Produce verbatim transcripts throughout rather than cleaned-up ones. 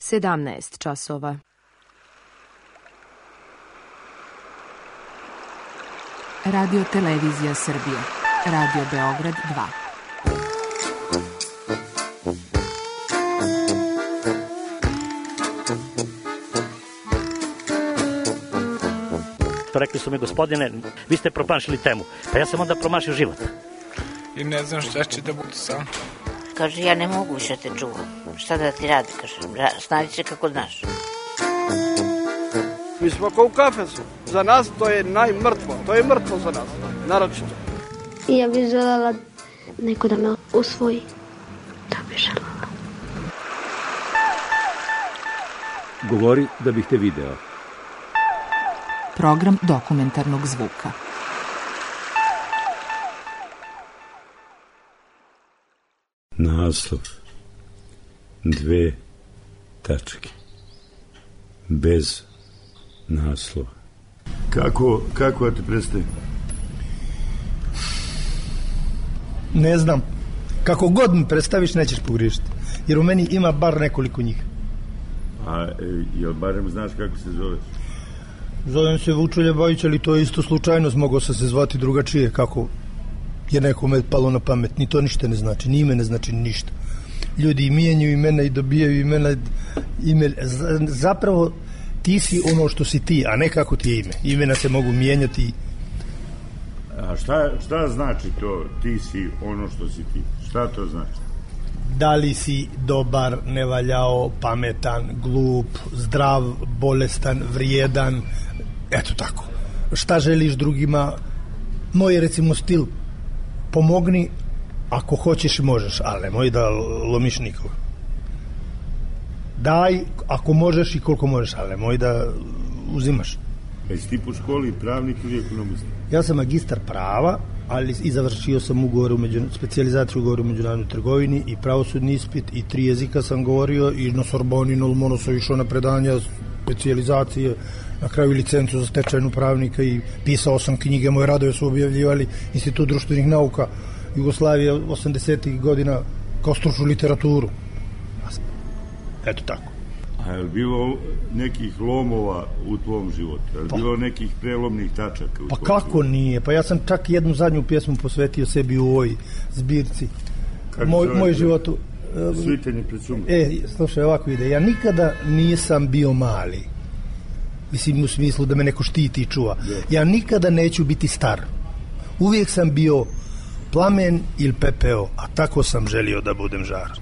sedamnaest časova. Radio Televizija Srbije. Radio Beograd dva. Rekli su mi, gospodine, vi ste promašili temu. Pa ja sam onda promašio život. I ne znam šta će da bude sam. Kaže, ja ne mogu više te čuvam. Šta da ti radi, kaže, snađi se kako znaš. Mi smo kao u kafesu. Za nas to je najmrtvo. To je mrtvo za nas, naročito. I ja bih željela neko da me usvoji. To bih željela. Govori da bih te video. Program dokumentarnog zvuka. Naslov. Dve tačke. Bez naslova. Kako, kako da te predstavim? Ne znam. Kako god mi predstaviš, nećeš pogriješiti. Jer u meni ima bar nekoliko njih. A jel barem znaš kako se zoveš? Zovem se Vučelja Bajić, ali to je isto slučajnost. Mogao sam se zvati drugačije, kako je nekome palo na pamet. Ni to ništa ne znači, ni ime ne znači ništa. Ljudi mijenjaju imena i dobijaju imena. Ime, zapravo ti si ono što si ti, a ne kako ti je ime. Imena se mogu mijenjati. A šta, šta znači to ti si ono što si ti? Šta to znači? Da li si dobar, nevaljao, pametan, glup, zdrav, bolestan, vrijedan, eto tako. Šta želiš drugima? Moj, recimo, stil, pomogni ako hoćeš i možeš, ali nemoj da lomiš nikoga. Daj ako možeš i koliko možeš, ali nemoj da uzimaš. Jesi ti po školi pravnik ili ekonomista? Ja sam magistar prava, ali i završio sam ugovor u među, specijalizaciju ugovor u međunarodnoj trgovini i pravosudni ispit i tri jezika sam govorio i na Sorboni, na Lomonu sam išao na predanja specijalizacije, na kraju licencu za stečajnu pravnika i pisao sam knjige, moje radove su objavljivali Institut društvenih nauka Jugoslavije osamdesetih godina kao stručnu literaturu. Eto tako. A je li bilo nekih lomova u tvom životu? Je li pa, bilo nekih prelomnih tačaka u pa tvom kako životu? Nije? Pa ja sam čak jednu zadnju pjesmu posvetio sebi u ovoj zbirci. Moj, moj životu. Svitanje pred sumom. E, slušaj, ovako ide. Ja nikada nisam bio mali. Mislim, u smislu da me neko štiti i čuva. Ja nikada neću biti star. Uvijek sam bio plamen ili pepeo, a tako sam želio da budem žar.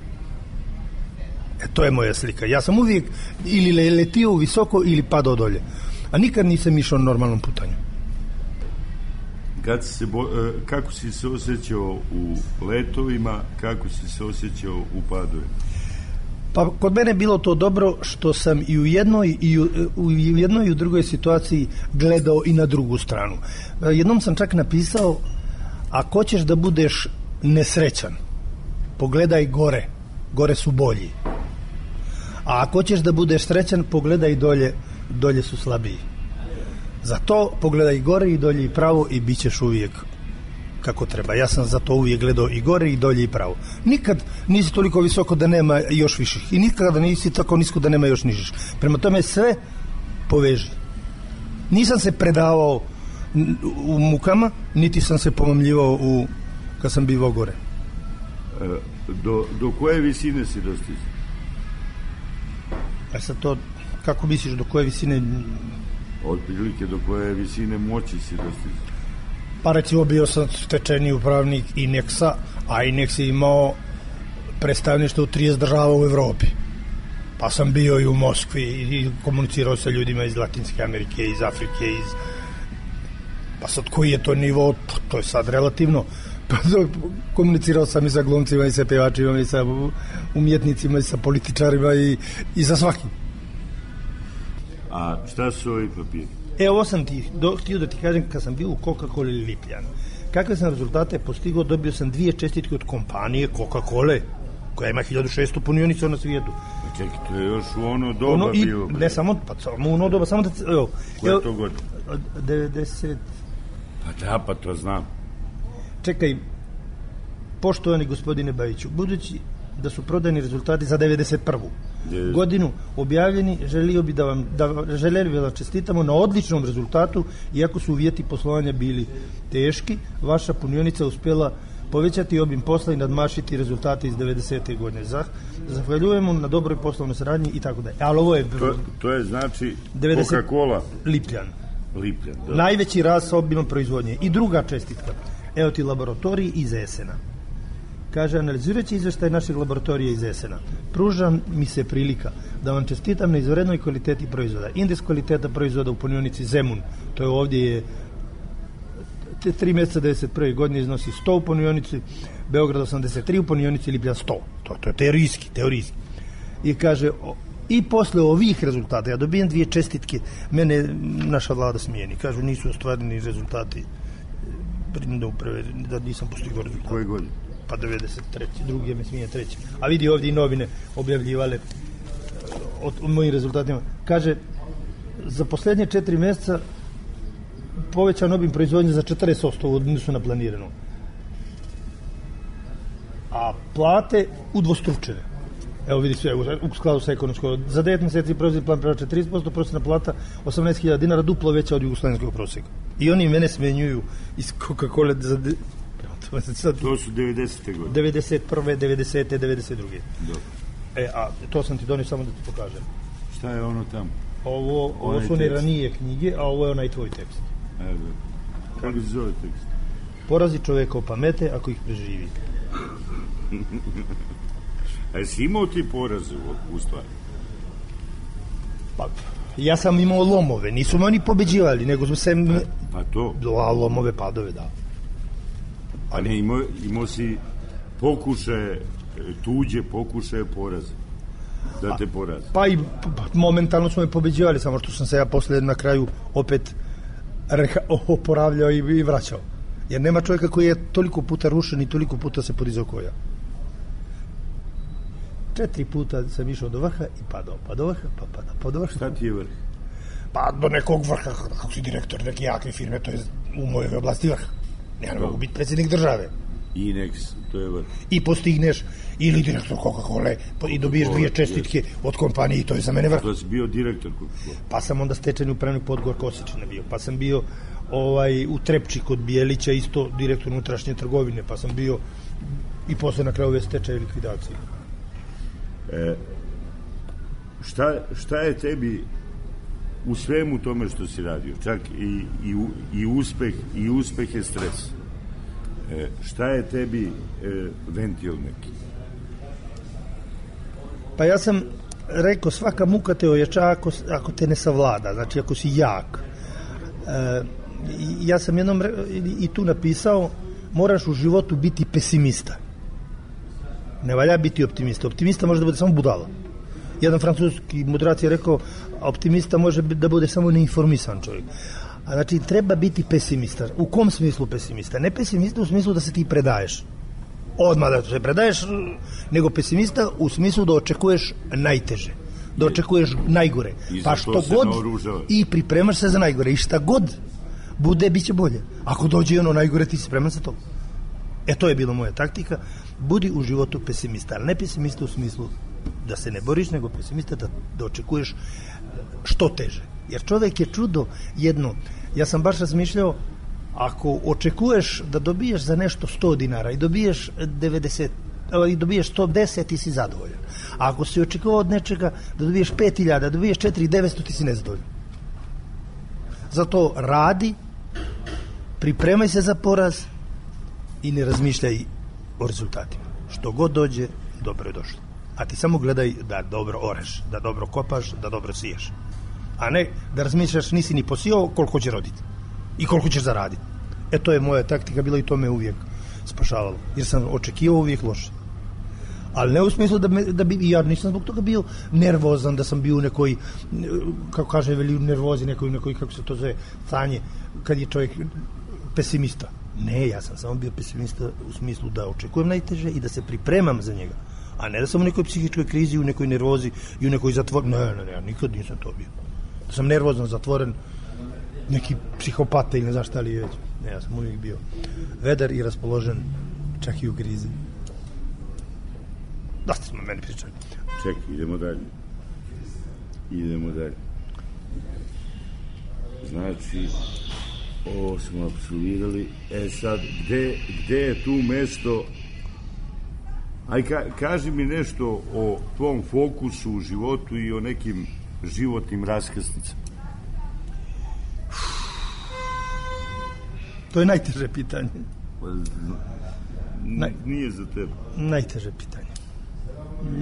E, to je moja slika. Ja sam uvijek ili letio visoko ili padao dolje. A nikad nisam išao normalnom putanju. Kad si se bo, kako si se osjećao u letovima, kako si se osjećao u padovima? Pa kod mene je bilo to dobro što sam i u jednoj i u, u jednoj i u drugoj situaciji gledao i na drugu stranu. Jednom sam čak napisao, ako hoćeš da budeš nesrećan, pogledaj gore. Gore su bolji. A ako hoćeš da budeš srećan, pogledaj dolje, dolje su slabiji. Zato pogledaj gore i dolje i pravo i bit ćeš uvijek kako treba. Ja sam zato uvijek gledao i gore i dolje i pravo. Nikad nisi toliko visoko da nema još viših i nikada nisi tako nisko da nema još nižih. Prema tome sve poveži. Nisam se predavao u mukama, niti sam se pomamljivao u, kad sam bivao gore. E, do, do koje visine si dostizao? A sad to, kako misliš, do koje visine? Otprilike do koje visine moći si dostizao? Pa recimo bio sam stečajni upravnik Ineksa, a Ineks je imao predstavništvo u trideset država u Evropi. Pa sam bio i u Moskvi i komunicirao sa ljudima iz Latinske Amerike, iz Afrike, iz... Pa sad koji je to nivo, to je sad relativno. Pa komunicirao sam i sa glumcima i sa pevačima i sa umjetnicima i sa političarima i, i sa svakim. A šta su ovi papiri? E, ovo sam ti do, htio da ti kažem kad sam bio u Coca-Cola ili Lipljanu. Kakve sam rezultate postigao, dobio sam dvije čestitke od kompanije Coca-Cola, koja ima hiljadu šesto punionica na svijetu. Čekaj, to je još u ono doba ono i, bio. Ne, samo, pa samo u ono doba, samo da... Evo, koja je to godina? devedeset... Pa da, pa to znam. Čekaj, poštovani gospodine Bajiću, budući da su prodajni rezultati za devedeset prvu godinu objavljeni. Želio bi da vam, da, želeli bi da vam čestitamo na odličnom rezultatu, iako su uvjeti poslovanja bili teški. Vaša punionica uspjela povećati obim posla i nadmašiti rezultate iz devedesete godine. Zahvaljujemo na dobroj poslovnoj saradnji i tako dalje. Ali ovo je... To, to je znači devedeset Coca-Cola. Lipljan. Lipljan, da. Najveći rast sa obimom proizvodnje. I druga čestitka. Evo ti laboratoriji iz Esena. Kaže, analizirajući izveštaj našeg laboratorija iz Esena, pruža mi se prilika da vam čestitam na izvanrednoj kvaliteti proizvoda. Indeks kvaliteta proizvoda u punionici Zemun, to je ovdje je te tri mjeseca devedeset prve godine iznosi sto u punionici, Beograd osamdeset tri, u punionici Lipljan sto. To, to je teorijski, teorijski. I kaže, o, i posle ovih rezultata, ja dobijem dvije čestitke, mene naša vlada smijeni. Kažu, nisu ostvareni rezultati, da, uprave, da nisam postigao rezultate. Koje godine? Pa devedeset treće, drugi me smije treći. A vidi ovdje i novine objavljivale o, o mojim rezultatima. Kaže, za posljednje četiri mjeseca povećan obim proizvodnje za četrdeset posto u odnosu na planirano. A plate udvostručene. Evo vidi sve, u skladu sa ekonomskom. Za devet mjeseci proizvodni plan prava četrdeset posto, prosječna plata osamnaest hiljada dinara, duplo veća od jugoslavenskog prosjeka. I oni mene smenjuju iz Coca-Cola za... De... To su devedesete godine. devedeset prve, devedesete, devedeset druge. Dobro. E, a to sam ti donio samo da ti pokažem. Šta je ono tamo? Ovo, ovo su one ranije knjige, a ovo je onaj tvoj tekst. Evo. Kako se zove tekst? Porazi čoveka o pamete ako ih preživi. A jesi imao ti poraze u, u stvari? Pa, ja sam imao lomove, nisu me oni pobeđivali, nego su se... Pa, pa to? A lomove, padove, da. A ne, imao, imao si pokušaje, tuđe pokušaje poraze. Da te poraze. Pa i pa, momentalno su me pobeđivali, samo što sam se ja posle na kraju opet reha, oporavljao i, i vraćao. Jer nema čovjeka koji je toliko puta rušen i toliko puta se podizao ko ja. Četiri puta sam išao do vrha i padao, pa do vrha, pa padao, pa do vrha. Šta ti je vrh? Pa do nekog vrha, kako si direktor neke jake firme, to je u mojoj oblasti vrh. Ja ne mogu biti predsjednik države. Inex, to je vrh. I postigneš, ili direktor Coca-Cola i dobiješ dvije čestitke od kompanije i to je za mene vrh. To si bio direktor Coca-Cola. Pa sam onda stečajni upravnik Podgor Kosečina bio, pa sam bio ovaj, u Trepči kod Bijelića isto direktor unutrašnje trgovine, pa sam bio i posle na kraju ove stečaje likvidacije. E, šta, šta je tebi u svemu tome što si radio, čak i, i, i uspeh i uspeh je stres, e, šta je tebi e, ventil neki? Pa ja sam rekao, svaka muka te ojača ako, ako te ne savlada, znači ako si jak. E, ja sam jednom i tu napisao, moraš u životu biti pesimista. Ne valja biti optimista. Optimista može da bude samo budala. Jedan francuski mudrac je rekao, optimista može da bude samo neinformisan čovjek. A znači, treba biti pesimista. U kom smislu pesimista? Ne pesimista u smislu da se ti predaješ. Odmah da se predaješ, nego pesimista u smislu da očekuješ najteže. Da očekuješ najgore. Pa što god i pripremaš se za najgore. I šta god bude, bit će bolje. Ako dođe ono najgore, ti se spreman za to. E, to je bila moja taktika. Budi u životu pesimista, ali ne pesimista u smislu da se ne boriš, nego pesimista da, da očekuješ što teže. Jer čovjek je čudo jedno. Ja sam baš razmišljao, ako očekuješ da dobiješ za nešto sto dinara i dobiješ devedeset, i dobiješ sto deset, ti si zadovoljan. A ako si očekivao od nečega da dobiješ pet hiljada, da dobiješ četiri hiljade devetsto, ti si nezadovoljan. Zato radi, pripremaj se za poraz i ne razmišljaj o rezultatima. Što god dođe, dobro je došlo. A ti samo gledaj da dobro oreš, da dobro kopaš, da dobro siješ. A ne da razmišljaš, nisi ni posijao, koliko će roditi i koliko ćeš zaraditi. E, to je moja taktika bila i to me uvijek spašavalo. Jer sam očekivao uvijek loše. Ali ne u smislu da, me, da bi, ja nisam zbog toga bio nervozan, da sam bio u nekoj, kako kaže, veli nervozi, nekoj, nekoj, kako se to zove, stanje, kad je čovjek pesimista. Ne, ja sam samo bio pesimista u smislu da očekujem najteže i da se pripremam za njega. A ne da sam u nekoj psihičkoj krizi, u nekoj nervozi i u nekoj zatvor. Ne, ne, ne, ja nikad nisam to bio. Da sam nervozno zatvoren, neki psihopata ili ne znaš šta li je već. Ne, ja sam uvijek bio vedar i raspoložen, čak i u krizi. Dosta smo meni pričali. Čekaj, idemo dalje. Idemo dalje. Znači, ovo smo apsolvirali. E sad, gde, gde je tu mesto? Aj, ka, kaži mi nešto o tvom fokusu u životu i o nekim životnim raskrsnicama. To je najteže pitanje. N- nije za tebe. Najteže pitanje.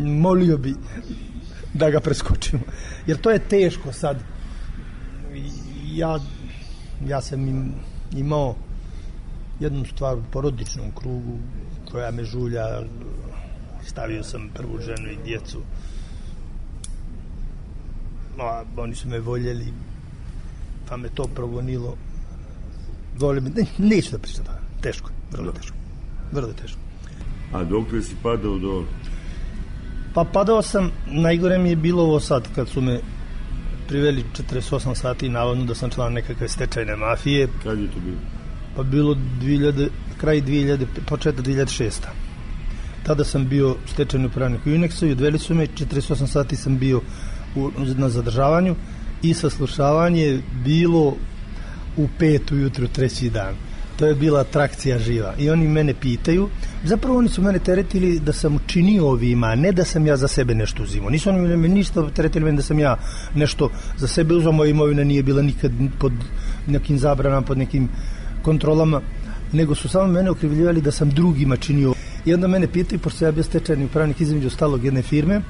Molio bi da ga preskočimo. Jer to je teško sad. Ja, ja sam im, imao jednu stvar u porodičnom krugu koja me žulja. Stavio sam prvu ženu i djecu. A, oni su me voljeli, pa me to progonilo. Vole me, ne, neću da pričam. Teško, vrlo teško. Vrlo teško. A dok li si padao do... Pa padao sam, najgore mi je bilo ovo sad, kad su me priveli četrdeset osam sati navodno da sam član nekakve stečajne mafije. Kad je to bilo? Pa bilo dvije hiljade, kraj dvije hiljade, početak dvije hiljade šeste. Tada sam bio stečajni upravnik u Unexu i odveli su me, četrdeset osam sati sam bio u, na zadržavanju i saslušavanje bilo u pet ujutru treći dan. To je bila atrakcija živa. I oni mene pitaju, zapravo oni su mene teretili da sam učinio ovima, ne da sam ja za sebe nešto uzimao. Nisu oni me ništa teretili mene da sam ja nešto za sebe uzao, moja imovina nije bila nikad pod nekim zabranama, pod nekim kontrolama, nego su samo mene okrivljivali da sam drugima činio. I onda mene pitaju, pošto ja bio stečajni upravnik između ostalog jedne firme,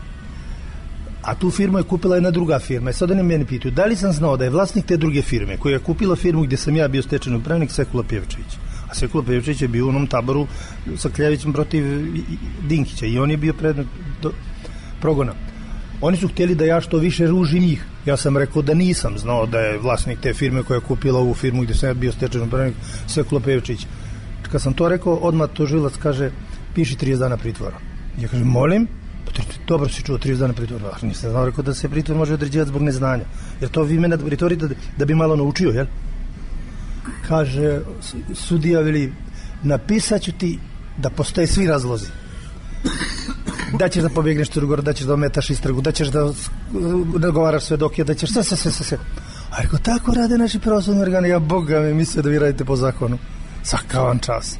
a tu firmu je kupila jedna druga firma. I sad oni mene pitaju, da li sam znao da je vlasnik te druge firme koja je kupila firmu gdje sam ja bio stečajni upravnik Sekula Pjevčević. A Sekula Pjevčević je bio u onom taboru sa Kljavićem protiv Dinkića i on je bio predmet do progona. Oni su htjeli da ja što više ružim njih. Ja sam rekao da nisam znao da je vlasnik te firme koja je kupila ovu firmu gdje sam ja bio stečajni upravnik Sekula Pjevčević. Kad sam to rekao, odmah tužilac kaže, piši trideset dana pritvora. Ja kažem, molim? Dobro si čuo, trideset dana pritvora. Nisam znao, rekao da se pritvor može određivati zbog neznanja. Jer to vi mene pritvorite da, da bi malo naučio, jel? Kaže, sudija veli, napisat ću ti da postoje svi razlozi. Da ćeš da pobjegneš Crugor, da ćeš da ometaš istragu, da ćeš da nagovaraš svedoke, da ćeš sve, sve, sve, sve. A rekao, tako rade naši pravosudni organi, ja Boga me mislio da vi radite po zakonu. Svaka vam čast.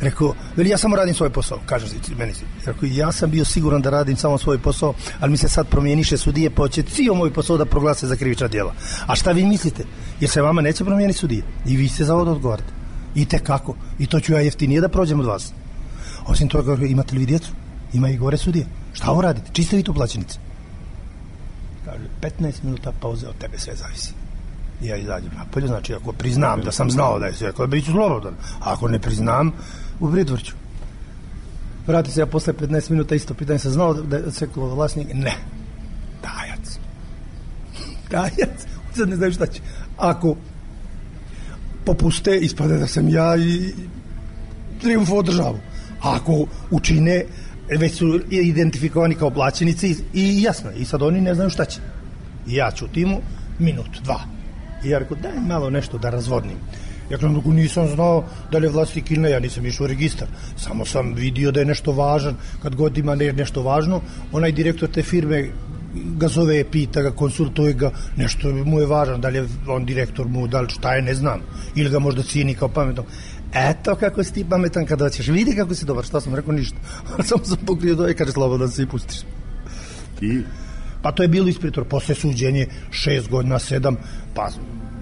Rekao, veli, ja samo radim svoj posao, kaže si, meni si. Rekao, ja sam bio siguran da radim samo svoj posao, ali mi se sad promijeniše sudije, pa će cijel moj posao da proglase za krivična djela. A šta vi mislite? Jer se vama neće promijeniti sudije. I vi ste za ovo da odgovarate. I tekako. I to ću ja jeftinije da prođem od vas. Osim toga, imate li vi djecu? Ima i gore sudije. Šta ovo radite? Čiste vi tu plaćenice? Kaže, petnaest minuta pauze, od tebe sve zavisi. I ja izađem napolje, znači ako priznam da sam znao da je sve, ako bit ću slobodan. A ako ne priznam, u pritvor ću. Vrati se ja posle petnaest minuta, isto pitanje, sam znao da je Sekula vlasnik? Ne. Tajac. Tajac. Sad ne znaju šta će. Ako popuste, ispade da sam ja i triumfo državu. A ako učine, već su identifikovani kao plaćenici i jasno, i sad oni ne znaju šta će. I ja ćutim minut, dva. I ja rekao, daj malo nešto da razvodnim. Ja kažem, nisam znao da li je vlasnik ili ne, ja nisam išao u registar. Samo sam vidio da je nešto važan. Kad god ima ne, nešto važno, onaj direktor te firme ga zove, pita ga, konsultuje ga, nešto mu je važan, da li je on direktor mu, da li šta je, ne znam. Ili ga možda cijeni kao pametno. Eto kako si ti pametan kada ćeš, vidi kako si dobar. Šta sam rekao, ništa. Samo sam pokrio doje, kaže, slobodan se i pustiš. I? Pa to je bilo ispritor, posle suđenje, šest godina, sedam, pa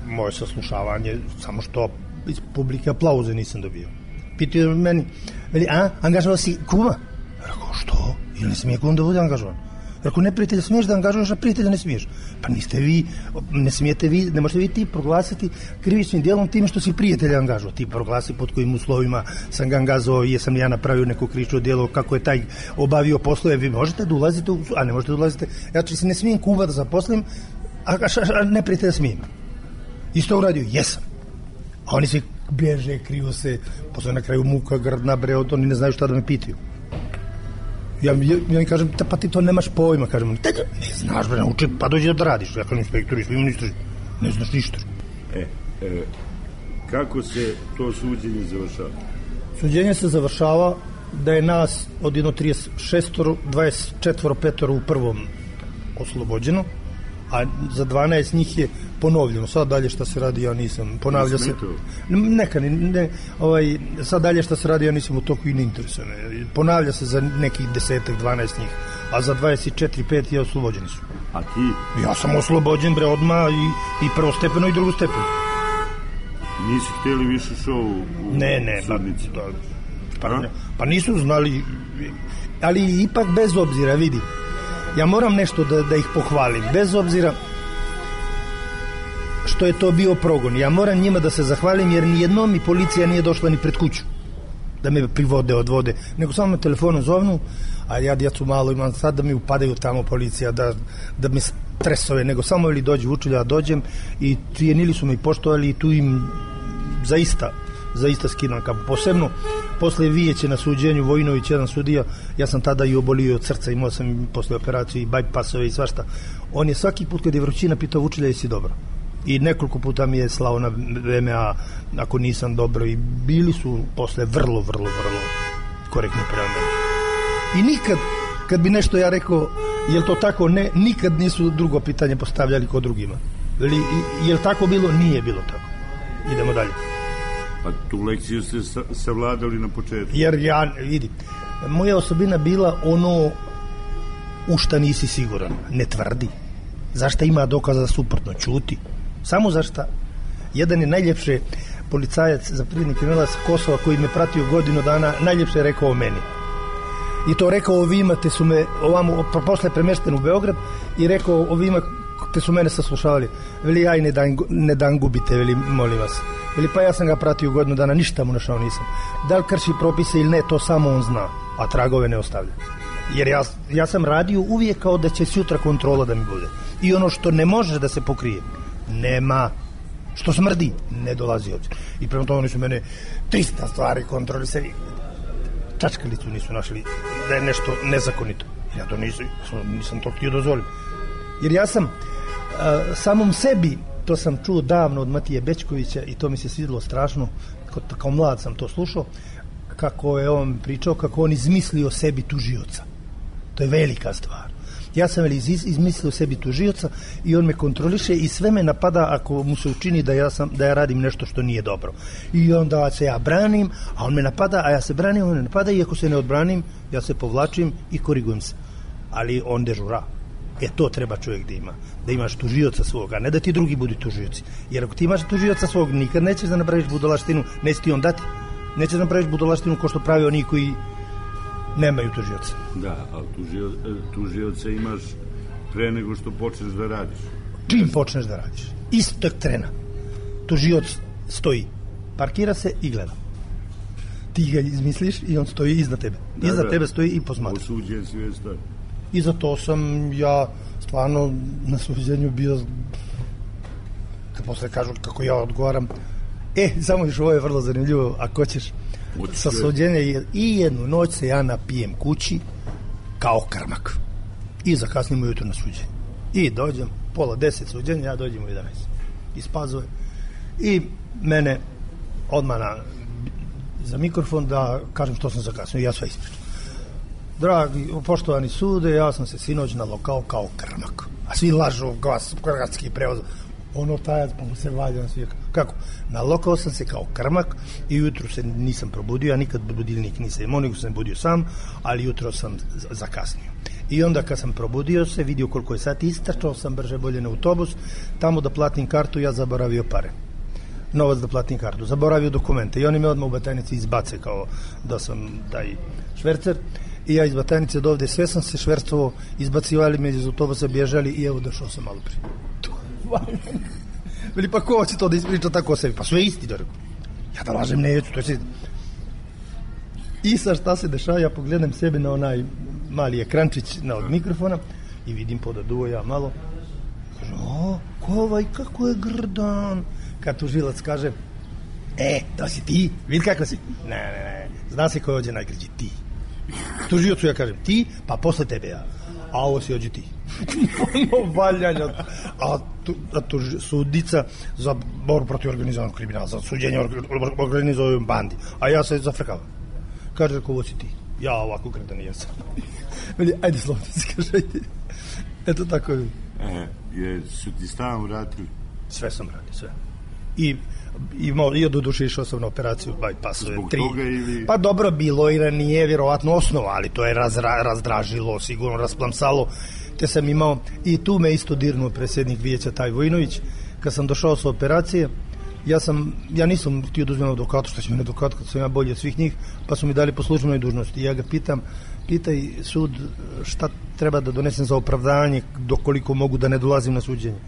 moje saslušavanje, samo što iz publike aplauze nisam dobio. Pitaju meni, veli, a, angažovao si kuma? Rekao, što? Ili ne smije kum da bude angažovan? Rekao, ne prijatelja smiješ da angažuješ, a prijatelja ne smiješ. Pa niste vi, ne smijete vi, ne možete vi ti proglasiti krivičnim djelom time što si prijatelja angažovao. Ti proglasi pod kojim uslovima sam ga angažovao, jesam ja napravio neko krivično djelo, kako je taj obavio poslove, vi možete da ulazite, u, a ne možete da ulazite. Ja či se ne smijem kuma da zaposlim, a, a, a ne prijatelja smijem. Isto uradio, jesam. A oni se bježe, kriju se, posle na kraju muka, grdna, bre, oni ne znaju šta da me pitaju. Ja, ja, ja im kažem, pa ti to nemaš pojma, kažem, ne znaš, bre, nauči, pa dođi da radiš. Ja kažem, inspektori, svi ministri, ne znaš ništa. E, e, kako se to suđenje završava? Suđenje se završava da je nas od jedno trideset šest, dvadeset četiri, petoro u prvom oslobođeno, a za dvanaest njih je ponovljeno. Sad dalje šta se radi, ja nisam. Ponavlja se. Neka, ne, ne, ovaj, sad dalje šta se radi, ja nisam u toku i ne interesuje me. Ponavlja se za nekih desetak, dvanaest njih, a za dvadeset četiri, pet je oslobođeni su. A ti? Ja sam oslobođen, bre, odmah i, i prvostepeno i drugostepeno. Nisi htjeli više šou u ne, ne, sudnici? Pa, pa, pa nisu znali, ali ipak bez obzira, vidi, ja moram nešto da, da ih pohvalim, bez obzira što je to bio progon. Ja moram njima da se zahvalim, jer nijednom mi policija nije došla ni pred kuću da me privode, odvode, nego samo me telefonom zovnu, a ja djecu malo imam sad da mi upadaju tamo policija, da, da me stresove, nego samo ili dođu učilja, ja dođem i cijenili su me i poštovali i tu im zaista, zaista skidam kapu. Posebno, posle Vijeće na suđenju, Vojinović, jedan sudija, ja sam tada i obolio od srca, imao sam posle operacije i bypassove i svašta. On je svaki put kad je vrućina pitao učilja, jesi dobro? I nekoliko puta mi je slao na V M A ako nisam dobro i bili su posle vrlo, vrlo, vrlo korektni prema meni. I nikad, kad bi nešto ja rekao, je li to tako? Ne, nikad nisu drugo pitanje postavljali kod drugima. Je li tako bilo? Nije bilo tako. Idemo dalje. Pa tu lekciju ste savladali na početku. Jer ja, vidi, moja osobina bila ono u šta nisi siguran. Ne tvrdi. Zašta ima dokaza suprotno? Ćuti. Samo zašta. Jedan je najljepše policajac, zapovjednik kriminala sa Kosova, koji me pratio godinu dana, najljepše je rekao o meni. I to rekao ovima, te su me ovamo, posle premešten u Beograd, i rekao ovima, te su mene saslušavali. Veli, ja i ne dan, ne dan gubite, veli, molim vas. Veli, pa ja sam ga pratio godinu dana, ništa mu našao nisam. Da li krši propise ili ne, to samo on zna, a tragove ne ostavlja. Jer ja, ja sam radio uvijek kao da će sutra kontrola da mi bude. I ono što ne može da se pokrije, nema. Što smrdi, ne dolazi ovdje. I prema tome oni su mene trista stvari kontrolisali. Čačkalicu nisu našli da je nešto nezakonito. Ja to nisam, nisam to htio dozvolim. Jer ja sam a, samom sebi, to sam čuo davno od Matije Bečkovića i to mi se svidilo strašno, kao, kao mlad sam to slušao, kako je on pričao, kako on izmislio sebi tužioca. To je velika stvar. Ja sam iz, izmislio sebi tužioca i on me kontroliše i sve me napada ako mu se učini da ja, sam, da ja radim nešto što nije dobro. I onda se ja branim, a on me napada, a ja se branim, on me napada, i ako se ne odbranim, ja se povlačim i korigujem se. Ali on dežura. E to treba čovjek da ima. Da imaš tužioca svoga, ne da ti drugi budu tužioci. Jer ako ti imaš tužioca svog, nikad nećeš da napraviš budalaštinu, neće ti on dati. Nećeš da napraviš budalaštinu ko što pravi oni koji nemaju tužioca. Da, ali tužio, tužioca imaš pre nego što počneš da radiš. Čim počneš da radiš? Istog trena. Tužioc stoji, parkira se i gleda. Ti ga izmisliš i on stoji iznad tebe. Da, iznad da. Tebe stoji i posmatra. Osuđen si već stoji. I zato sam ja stvarno na suđenju bio, kad posle kažu kako ja odgovaram. E, samo još ovo je vrlo zanimljivo, ako ćeš. Sa suđenja i jednu noć se ja napijem kući kao krmak i zakasnim ujutro na suđenje i dođem pola deset suđenja, ja dođem u jedanaest iz Pazove i mene odmah na, za mikrofon da kažem što sam zakasnio, ja sve ispričam. Dragi, poštovani sude, ja sam se sinoć nalokao kao krmak, a svi lažu, glas, gradski prevoz, ono tajac, pa mu se valjam svi. Kako? Nalokao sam se kao krmak i jutro se nisam probudio, ja nikad budilnik nisam imao, nego sam budio sam, ali jutro sam zakasnio. I onda kad sam probudio se, vidio koliko je sati, istračao sam brže bolje na autobus, tamo da platim kartu, ja zaboravio pare. Novac da platim kartu, zaboravio dokumente i oni me odmah u Batajnici izbace kao da sam taj švercer. I ja iz Batajnice do ovde sve sam se švercovao, izbacivali me iz autobusa, bježali i evo došao sam malo prije. Veli, pa ko će to da ispriča tako o sebi? Pa sve isti, da rekao. Ja da lažem neću, to je sve. I sad šta se dešava, ja pogledam sebe na onaj mali ekrančić na od mikrofona i vidim podaduo ja malo. Kažem, o, ko ovaj, kako je grdan. Kad tužilac kaže, e, to si ti, vidi kako si. Ne, ne, ne, zna se ko je ovdje najgređi, ti. Tužiocu ja kažem, ti, pa posle tebe ja. A ovo si ođe ti. Ono valjanja. A, tu, a tu sudica za borbu protiv organizovanog kriminala, za suđenje organizovanoj bandi. A ja se zafrkavam. Kaže, ko ovo si ti? Ja ovako gredan jesam. Ajde, slobodno si kaže, ajde. Eto tako je. E, je, su ti stan vratili? Sve sam radio, sve. I i i do duše išao sam na operaciju bypassove Zbog tri. toga ili... Pa dobro, bilo i nije vjerovatno osnova, ali to je razra, razdražilo, sigurno rasplamsalo, te sam imao, i tu me isto dirnuo predsjednik vijeća taj Vojinović, kad sam došao sa operacije, ja sam, ja nisam htio da uzmem advokatu, što će mi advokat kad sam ja bolji od svih njih, pa su mi dali po službenoj dužnosti. Ja ga pitam, pitaj sud šta treba da donesem za opravdanje, dokoliko mogu da ne dolazim na suđenje.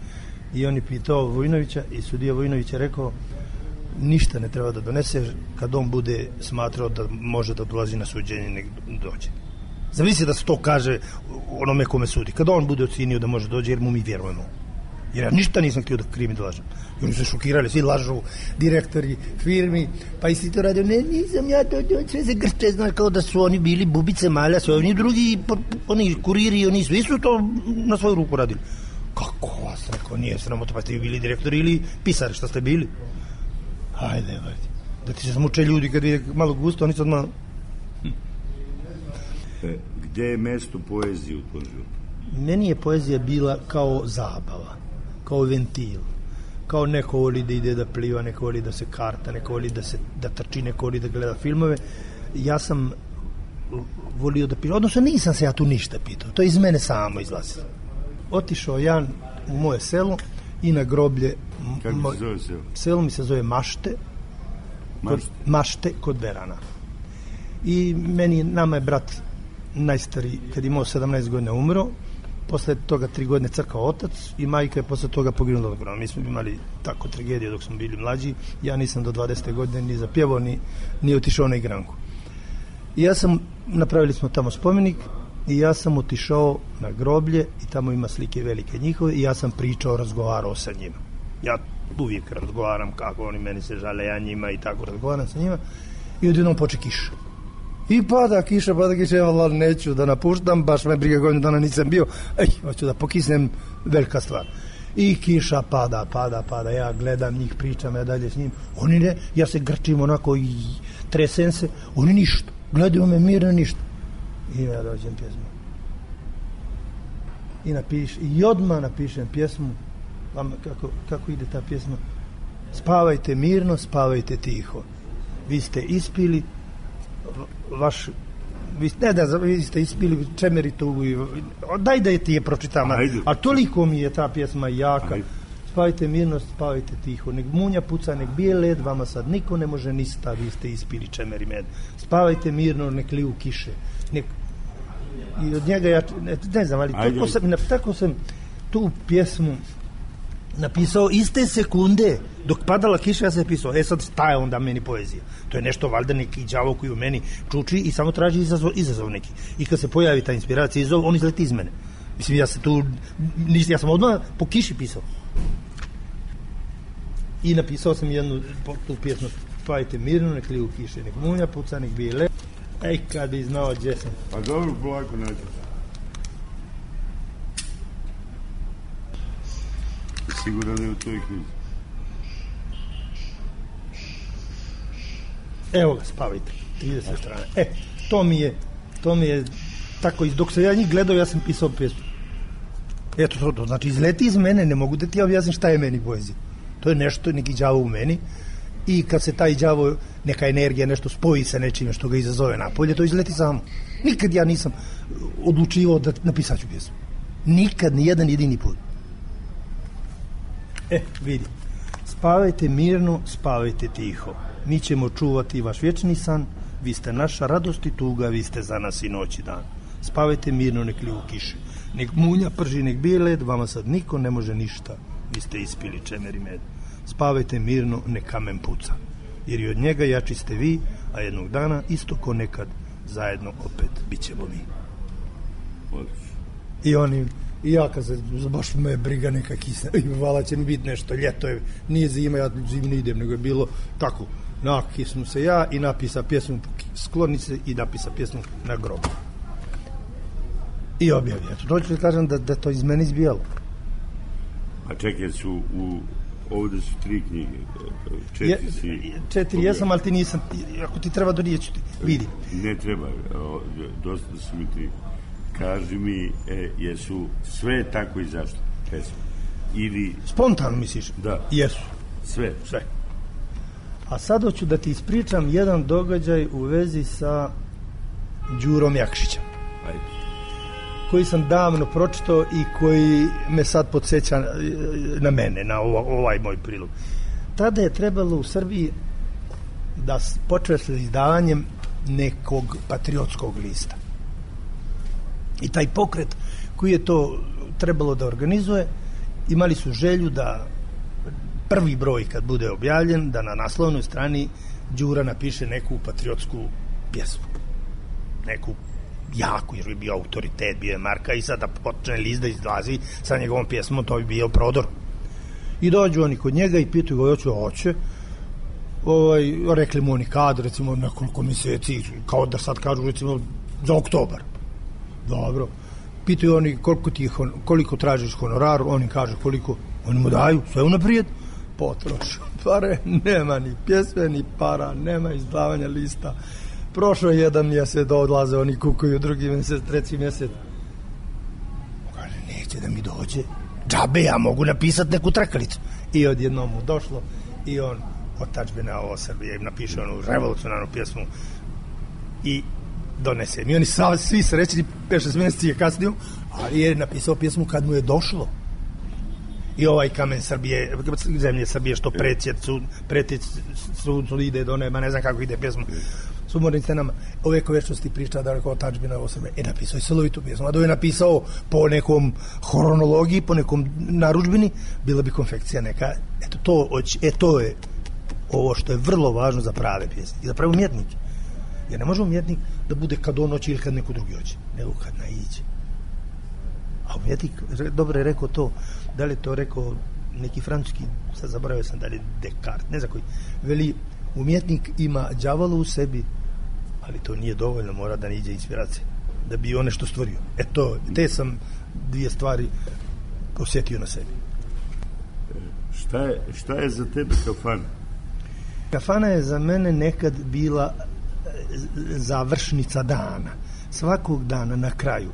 I on je pitao Vojinovića i sudija Vojinović je rekao, ništa ne treba da donese, kad on bude smatrao da može da dolazi na suđenje, nek dođe. Zavisi da se to kaže onome kome sudi. Kad on bude ocenio da može dođe, jer mu mi vjerujemo. Jer ja ništa nisam htio da krimi da lažem. I oni se šokirali, svi lažu, direktori firmi, pa isti to radio, ne, nisam ja to, to sve se grče, znaš, kao da su oni bili bubice malja, sve oni drugi, oni kuriri, oni svi su to na svoju ruku radili. Kako vas, rekao, nije sramota, pa ste vi bili direktori ili pisari, šta ste bili? Hajde, hajde, da ti se smuče ljudi kad je malo gusto, oni sad malo... Hm. E, gde je mesto poezije u tom životu? Meni je poezija bila kao zabava, kao ventil, kao neko voli da ide da pliva, neko voli da se karta, neko voli da se da trči, neko voli da gleda filmove. Ja sam volio da pišem, odnosno nisam se ja tu ništa pitao, to je iz mene samo izlazilo. Otišao ja u moje selo i na groblje. Kako moj, se zove selo? Selo mi se zove Mašte, Mašte, kod, Mašte kod Berana. I meni, nama je brat najstariji, kad je imao sedamnaest godina umro, posle toga tri godine crkao otac i majka je posle toga poginula od korone. Mi smo imali tako tragedije dok smo bili mlađi, ja nisam do dvadesete godine ni zapjevao, ni, ni otišao na igranku. I ja sam, napravili smo tamo spomenik, i ja sam otišao na groblje i tamo ima slike velike njihove i ja sam pričao, razgovarao sa njima. Ja uvijek razgovaram kako oni meni se žale, ja njima i tako razgovaram sa njima i odjednom poče kiša. I pada kiša, pada kiša, evo, neću da napuštam, baš me briga godinu dana nisam bio, ej, hoću da pokisnem, velika stvar. I kiša pada, pada, pada, ja gledam njih, pričam ja dalje s njim, oni ne, ja se grčim onako i tresem se, oni ništa, gledaju me mirno, ništa. I ja dođem pjesmu. I napiš, i odmah napišem pjesmu, kako, kako ide ta pjesma, spavajte mirno, spavajte tiho. Vi ste ispili vaš, vi, ne da, vi ste ispili čemeri tugu i, daj da je ti je pročitam, a toliko mi je ta pjesma jaka. Ajde. Spavajte mirno, spavajte tiho, nek munja puca, nek bije led, vama sad niko ne može ništa, vi ste ispili čemeri med. Spavajte mirno, nek liju kiše, nek... I od njega ja, ne, ne znam, ali tako sam, tako sam tu pjesmu napisao iste sekunde dok padala kiša, ja sam pisao, e sad šta je onda meni poezija? To je nešto valjda neki đavo koji u meni čuči i samo traži izazov, izazov neki. I kad se pojavi ta inspiracija, izazov, on izleti iz mene. Mislim, ja se tu, ja sam odmah po kiši pisao. I napisao sam jednu tu pjesmu, spavajte mirno, nek liju kiše, nek munja puca, nek bije le. Ej, kad bi znao gdje sam. Pa dobro, polako nađe. Sigurno da je u toj knjizi. Evo ga, spavajte, trideset strane. E, to mi je, to mi je tako, dok sam ja njih gledao, ja sam pisao pjesmu. Eto, to, to znači, izleti iz mene, ne mogu da ti objasnim šta je meni poezija. To je nešto, neki đavo u meni. I kad se taj đavo, neka energija nešto spoji sa nečime što ga izazove napolje, to izleti samo. Nikad ja nisam odlučivao da napisat ću pjesmu. Nikad, ni jedan jedini put. E, vidi. Spavajte mirno, spavajte tiho. Mi ćemo čuvati vaš vječni san, vi ste naša radost i tuga, vi ste za nas i noć i dan. Spavajte mirno, nek liju kiše. Nek munja prži, nek bije led, vama sad niko ne može ništa. Vi ste ispili čemer i med. Spavajte mirno, nek kamen puca. Jer i od njega jači ste vi, a jednog dana, isto ko nekad, zajedno opet bit ćemo mi. I oni, i ja kad se, baš me briga neka kisna, i vala će mi biti nešto, ljeto je, nije zima, ja zimi ne idem, nego je bilo tako, nakisnu se ja i napisa pjesmu Sklonice i napisa pjesmu Na grobu. I objavio. To ću kažem da, da to iz mene izbijalo. A čekaj, su u ovde su tri knjige. Četiri si... Je, četiri jesam, ali ti nisam. Ako ti treba donijeću ti. Vidi. Ne treba. Dosta su mi tri. Kaži mi, e, jesu sve tako i zašto? Pesme. Ili... Spontano misliš? Da. Jesu. Sve? Sve. A sad hoću da ti ispričam jedan događaj u vezi sa Đurom Jakšićem. Ajde. Koji sam davno pročitao i koji me sad podsjeća na mene, na ovaj moj prilog. Tada je trebalo u Srbiji da počne sa izdavanjem nekog patriotskog lista. I taj pokret koji je to trebalo da organizuje, imali su želju da prvi broj kad bude objavljen, da na naslovnoj strani Đura napiše neku patriotsku pjesmu. Neku jaku, jer bi bio autoritet, bio je marka i sada počne list da izlazi sa njegovom pjesmom, to bi bio prodor. I dođu oni kod njega i pitaju ga, hoće, hoće. Ovaj, rekli mu oni kad, recimo nekoliko mjeseci, kao da sad kažu recimo za oktobar. Dobro. Pitaju oni koliko, ti, koliko tražiš honorar, oni kaže koliko, oni mu daju, sve unaprijed, potrošu pare, nema ni pjesme, ni para, nema izdavanja lista. Prošao je jedan mjesec, odlaze oni kukuju, drugi mjesec, treći mjesec. Kaže, neće da mi dođe, džabe, ja mogu napisati neku trakalicu. I odjednom mu došlo i on otadžbina ovo Srbije, napiše onu revolucionarnu pjesmu i donese. I oni svi srećni, pet šest mjeseci je kasnio, ali je napisao pjesmu kad mu je došlo. I ovaj kamen Srbije, zemlje Srbije što pretjec su, pretjec su, su ide do neba, ne znam kako ide pjesma. S umornim scenama, o vekovečnosti priča da rekao tadžbina ovo Srbije. E, napisao je celovitu pjesmu, a da je napisao po nekom hronologiji, po nekom narudžbini, bila bi konfekcija neka. Eto, to, e, to je ovo što je vrlo važno za prave pjesme i za pravi umjetnik. Jer ne može umjetnik da bude kad on hoće ili kad neko drugi hoće, nego kad naiđe. A umjetnik, dobro je rekao to, da li je to rekao neki francuski, sad zaboravio sam da li je Descartes, ne znam koji, veli, umjetnik ima đavola u sebi, ali to nije dovoljno, mora da niđe inspiracije, da bi on nešto stvorio. E to, te sam dvije stvari osjetio na sebi. Šta je, šta je za tebe kafana? Kafana je za mene nekad bila završnica dana. Svakog dana na kraju,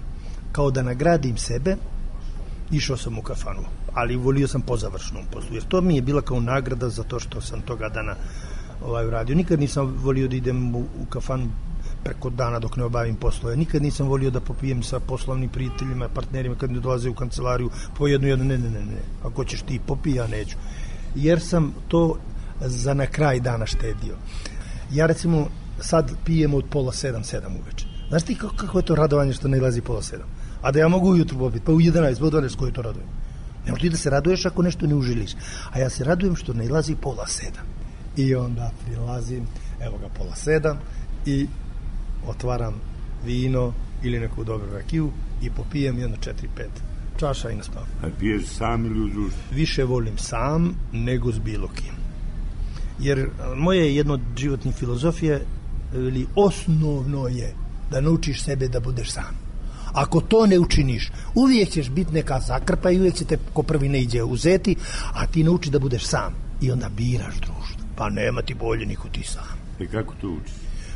kao da nagradim sebe, išao sam u kafanu, ali volio sam po završnom poslu, jer to mi je bila kao nagrada za to što sam toga dana ovaj, uradio. Nikad nisam volio da idem u, u kafanu preko dana dok ne obavim poslove. Nikad nisam volio da popijem sa poslovnim prijateljima, partnerima kad ne dolaze u kancelariju po jednu jednu, ne, ne, ne, ne. Ako ćeš ti popij, ja neću. Jer sam to za na kraj dana štedio. Ja recimo sad pijem od pola sedam, sedam uveče. Znaš ti kako, kako je to radovanje što ne ilazi pola sedam? A da ja mogu ujutru popiti, pa u jedanaest, pa u dvanaest, koje to radujem? Ne možeš ti da se raduješ ako nešto ne užiliš. A ja se radujem što ne ilazi pola sedam. I onda prilazim, evo ga pola sedam, i otvaram vino ili neku dobru rakiju i popijem jedno četiri, pet čaša i naspavam. A piješ sam ili u društvu? Više volim sam nego s bilo kim. Jer moje jedno od životnih filozofije, ili osnovno je da naučiš sebe da budeš sam. Ako to ne učiniš, uvijek ćeš biti neka zakrpa i uvijek će te ko prvi ne iđe uzeti, a ti nauči da budeš sam. I onda biraš društvo. Pa nema ti bolje niko ti sam. E kako to učiš?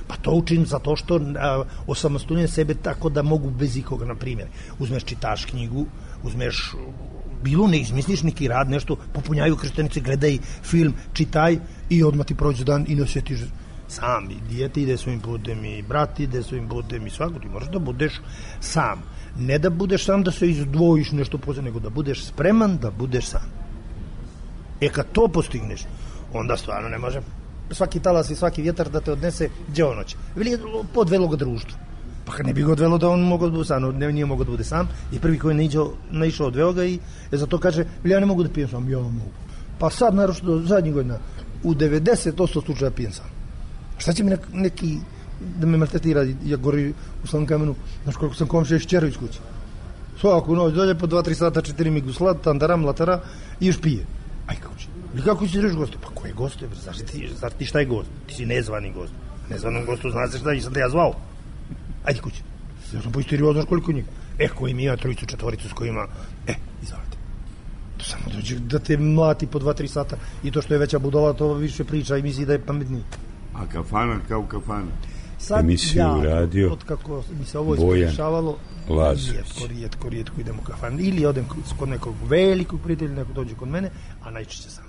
Pa to učim zato što a, osamostaljujem sebe tako da mogu bez ikoga, na primjer. Uzmeš, čitaš knjigu, uzmeš bilo, ne izmisliš neki rad, nešto, popunjaju krštenice, gledaj film, čitaj i odmah ti prođe dan i ne osjetiš sam. I dijete ide svojim putem i brat ide svojim putem i svako. Ti moraš da budeš sam. Ne da budeš sam da se izdvojiš nešto posebno, nego da budeš spreman da budeš sam. E kad to postigneš, onda stvarno ne može svaki talas i svaki vjetar da te odnese gdje on hoće. Veli podvelo ga društvo. Pa kad ne bi ga odvelo da on mogao da bude sam, ne, nije mogao da bude sam, i prvi koji je naišao odveo ga i e, zato kaže, veli ja ne mogu da pijem sam, ja mogu. Pa sad, naravno, do zadnjih godina, u devedeset posto slučaja pijem sam. Šta će mi nek, neki da me maltretira, ja gori u Slanom Kamenu, znaš koliko sam komšija iz Čero iz kuće. Svaku noć dolje po dva tri sata, četiri mi guslat, tandaram, latara i još pije. Aj kako će? Ili kako će reći goste? Pa koje goste? Znaš ti, znaš ti šta je gost? Ti si nezvani gost. Nezvanom gostu znaš šta i sam te ja zvao. Ajde kuće. Ja sam poisterio, znaš koliko njih. E, koji mi ima trojicu, četvoricu s kojima, e, izvolite. To samo dođe da te mlati po dva, tri sata i to što je veća budala, to više priča i misli da je pametniji. A kafana kao kafana? Sad emisiju ja, radio od kako mi se ovo Bojan iskorišavalo, Lazović. rijetko, rijetko, rijetko idem u kafan. Ili odem kod nekog velikog prijatelja, neko dođe kod mene, a najčešće sam.